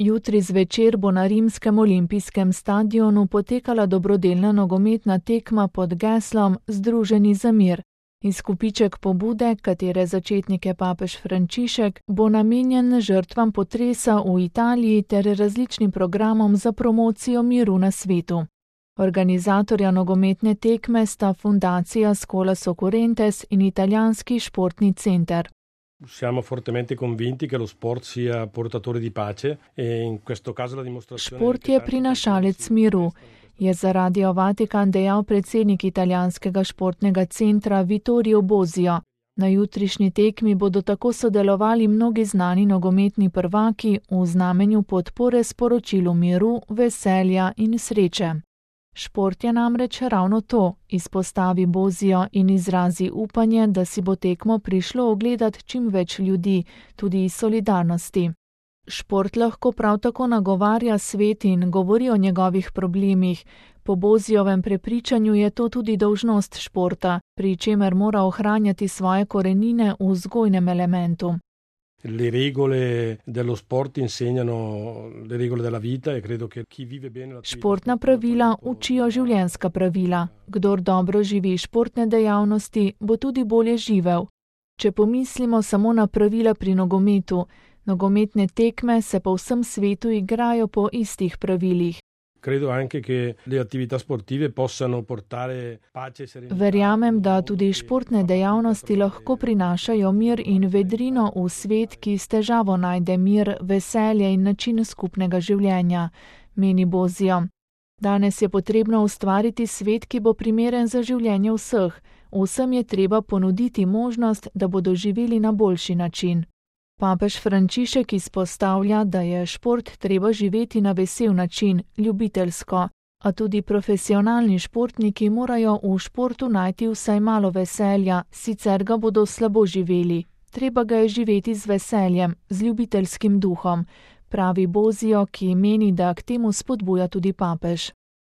Jutri zvečer bo na rimskem olimpijskem stadionu potekala dobrodelna nogometna tekma pod geslom Združeni za mir. Izkupiček pobude, katere začetnik je papež Frančišek, bo namenjen žrtvam potresa v Italiji ter različnim programom za promocijo miru na svetu. Organizatorja nogometne tekme sta Fundacija Scuola Occurrentes in Italijanski športni center. Siamo fortemente convinti che lo sport sia portatore di pace e in questo caso la dimostrazione. Šport je prinašalec miru, je za Radio Vatikan dejal predsednik Italijanskega športnega centra Vittorio Bosio. Na jutrišnji tekmi bodo tako sodelovali mnogi znani nogometni prvaki v znamenju podpore sporočilu miru, veselja in sreče. Šport je namreč ravno to, izpostavi Bosio in izrazi upanje, da si bo tekmo prišlo ogledat čim več ljudi, tudi iz solidarnosti. Šport lahko prav tako nagovarja svet in govori o njegovih problemih. Po Bosiovem prepričanju je to tudi dolžnost športa, pri čemer mora ohranjati svoje korenine v vzgojnem elementu. Le regole dello sport insegnano le regole della vita e credo che chi vive bene la Športna pravila učijo življenjska pravila. Kdor dobro živi športne dejavnosti, bo tudi bolje živel. Če pomislimo samo na pravila pri nogometu, nogometne tekme se po vsem svetu igrajo po istih pravilih. Credo anche che le attività sportive possano portare pace e serenità. Verjamem, da tudi športne dejavnosti lahko prinašajo mir in vedrino v svet, ki s težavo najde mir, veselje in način skupnega življenja, meni Bosio. Danes je potrebno ustvariti svet, ki bo primeren za življenje vseh. Vsem je treba ponuditi možnost, da bodo živeli na boljši način. Papež Frančišek izpostavlja, da je šport treba živeti na vesel način, ljubiteljsko, a tudi profesionalni športniki morajo v športu najti vsaj malo veselja, sicer ga bodo slabo živeli. Treba ga je živeti z veseljem, z ljubiteljskim duhom, pravi Bosio, ki meni, da k temu spodbuja tudi papež.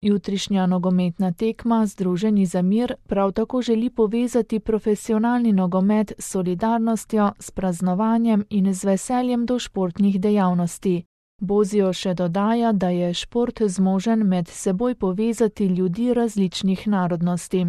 Jutrišnja nogometna tekma Združeni za mir prav tako želi povezati profesionalni nogomet s solidarnostjo, s praznovanjem in z veseljem do športnih dejavnosti. Bosio še dodaja, da je šport zmožen med seboj povezati ljudi različnih narodnosti.